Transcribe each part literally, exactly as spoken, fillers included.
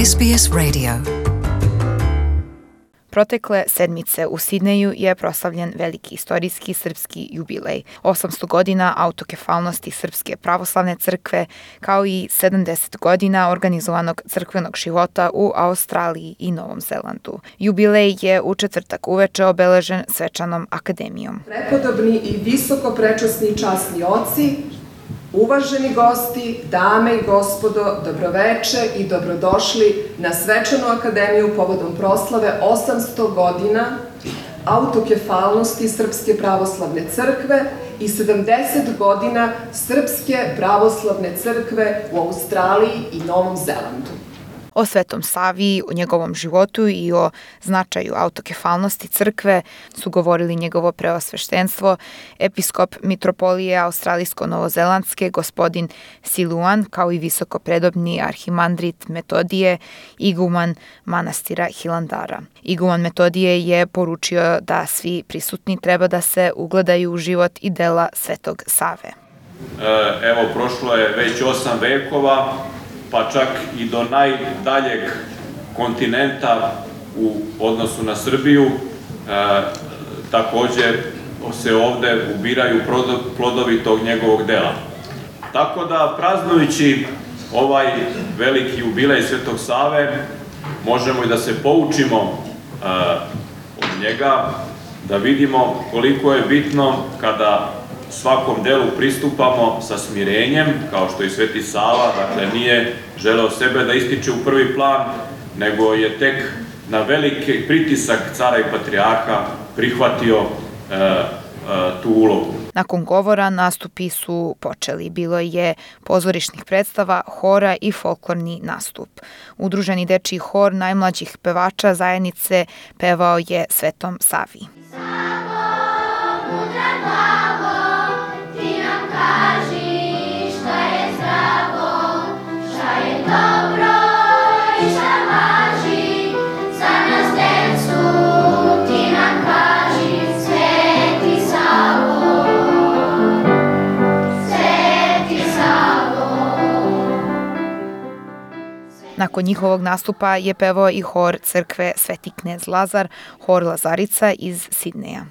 S B S Radio. Protekle sedmice u Sidneju je proslavljen veliki istorijski srpski jubilej. osamsto godina autokefalnosti Srpske pravoslavne crkve, kao i sedamdeset godina organizovanog crkvenog života u Australiji i Novom Zelandu. Jubilej je u četvrtak uveče obeležen svečanom akademijom. Prepodobni i visoko prečasni časni oci, uvaženi gosti, dame i gospodo, dobroveče i dobrodošli na svečanu akademiju povodom proslave osamsto godina autokefalnosti Srpske pravoslavne crkve i sedamdeset godina Srpske pravoslavne crkve u Australiji i Novom Zelandu. O Svetom Savi, o njegovom životu i o značaju autokefalnosti crkve su govorili njegovo preosveštenstvo, episkop mitropolije australijsko-novozelandske gospodin Siluan, kao i visoko predobni arhimandrit Metodije, iguman manastira Hilandara. Iguman Metodije je poručio da svi prisutni treba da se ugledaju u život i dela Svetog Save. Evo, prošlo je već osam vekova, pa čak i do najdaljeg kontinenta u odnosu na Srbiju. E, također se ovde ubiraju plodovi tog njegovog dela. Tako da, praznujući ovaj veliki jubilej Svetog Save, možemo i da se poučimo e, od njega, da vidimo koliko je bitno kada svakom delu pristupamo sa smirenjem, kao što i Sveti Sava, dakle nije želeo sebe da ističe u prvi plan, nego je tek na veliki pritisak cara i patrijarha prihvatio e, e, tu ulogu. Nakon govora nastupi su počeli. Bilo je pozorišnih predstava, hora i folklorni nastup. Udruženi dečiji hor najmlađih pevača zajednice pevao je Svetom Savi. Nakon njihovog nastupa je pevao i hor crkve Sveti knez Lazar, hor Lazarica iz Sidneja.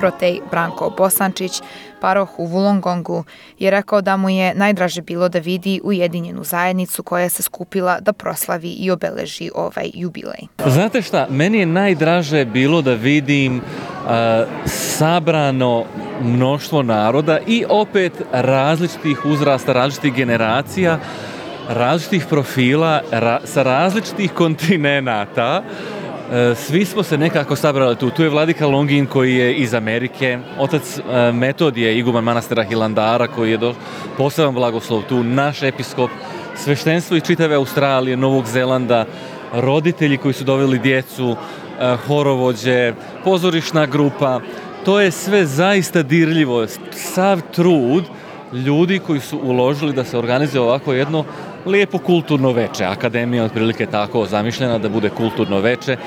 Protej Branko Bosančić, paroh u Wollongongu, je rekao da mu je najdraže bilo da vidi ujedinjenu zajednicu koja se skupila da proslavi i obeleži ovaj jubilej. Znate šta, meni je najdraže bilo da vidim uh, sabrano mnoštvo naroda i opet različitih uzrasta, različitih generacija, različitih profila, ra- sa različitih kontinenata. Svi smo se nekako sabrali tu. Tu je vladika Longin koji je iz Amerike, otac Metodije, iguman manastira Hilandara koji je do, poseban blagoslov tu, naš episkop, sveštenstvo iz čitave Australije, Novog Zelanda, roditelji koji su doveli djecu, horovođe, pozorišna grupa. To je sve zaista dirljivo. Sav trud ljudi koji su uložili da se organizuje ovako jedno lijepo kulturno veče. Akademija otprilike tako zamišljena da bude kulturno veče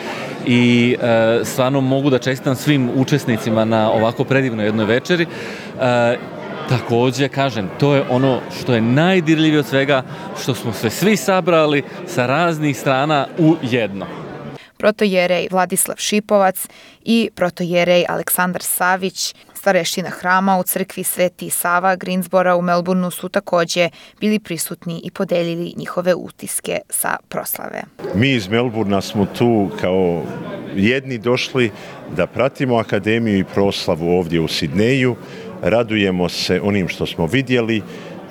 i e, stvarno mogu da čestitam svim učesnicima na ovako predivnoj jednoj večeri. E, također, kažem, to je ono što je najdirljivije od svega, što smo se svi sabrali sa raznih strana u jedno. Protojerej Vladislav Šipovac i protojerej Aleksandar Savić, stareština hrama u crkvi Sveti Sava Greensbora u Melbourneu, su također bili prisutni i podelili njihove utiske sa proslave. Mi iz Melbournea smo tu kao jedni došli da pratimo akademiju i proslavu ovdje u Sidneju. Radujemo se onim što smo vidjeli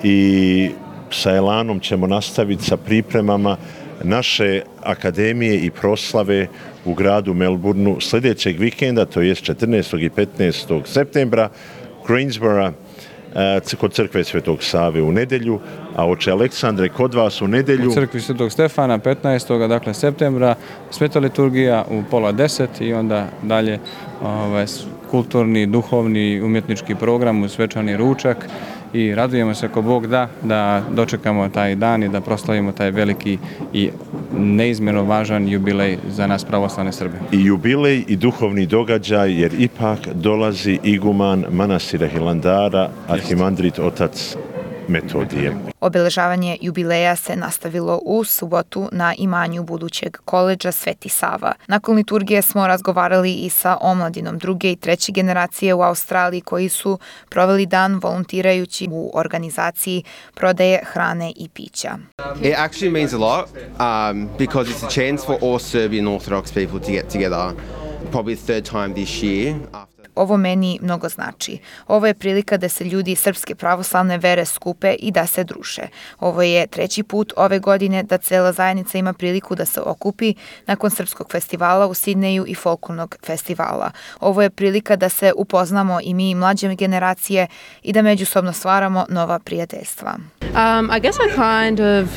i sa elanom ćemo nastaviti sa pripremama naše akademije i proslave u gradu Melbourneu sljedećeg vikenda, to je četrnaestog i petnaestog septembra, Greensbora, kod crkve Svetog Save u nedjelju, a oče Aleksandre, kod vas u nedjelju? U crkvi Svetog Stefana petnaestog dakle septembra, sveta liturgija u pola deset i onda dalje ovaj, kulturni, duhovni, umjetnički program u svečani ručak i radujemo se ako Bog da, da dočekamo taj dan i da proslavimo taj veliki i neizmjerno važan jubilej za nas pravoslavne Srbe. I jubilej i duhovni događaj, jer ipak dolazi iguman manastira Hilandara, arhimandrit otac Metodije. Obeležavanje jubileja se nastavilo u subotu na imanju budućeg koledža Sveti Sava. Nakon liturgije smo razgovarali i sa omladinom druge i treće generacije u Australiji koji su proveli dan volontirajući u organizaciji prodaje hrane i pića. It actually means a lot um, because it's a chance for all Serbian Orthodox people to get together, probably third time this year. Ovo meni mnogo znači. Ovo je prilika da se ljudi srpske pravoslavne vere skupe i da se druže. Ovo je treći put ove godine da cela zajednica ima priliku da se okupi nakon srpskog festivala u Sidneju i folklornog festivala. Ovo je prilika da se upoznamo i mi mlađe generacije i da međusobno stvaramo nova prijateljstva. Um, I guess I kind of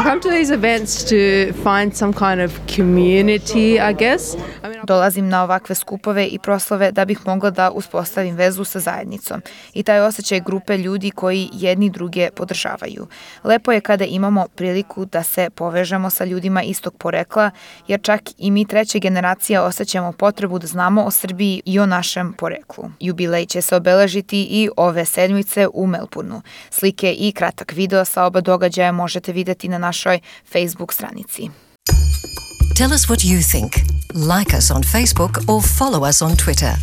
I come to these events to find some kind of community, I guess. I mean, Dolazim na ovakve skupove i proslave da bih mogla da uspostavim vezu sa zajednicom i taj osjećaj grupe ljudi koji jedni druge podržavaju. Lepo je kada imamo priliku da se povežemo sa ljudima istog porekla, jer čak i mi treća generacija osjećamo potrebu da znamo o Srbiji i o našem poreklu. Jubilej će se obeležiti i ove sedmice u Melbourneu. Slike i kratak video sa oba događaja možete vidjeti na našoj Facebook stranici. Tell us what you think. Like us on Facebook or follow us on Twitter.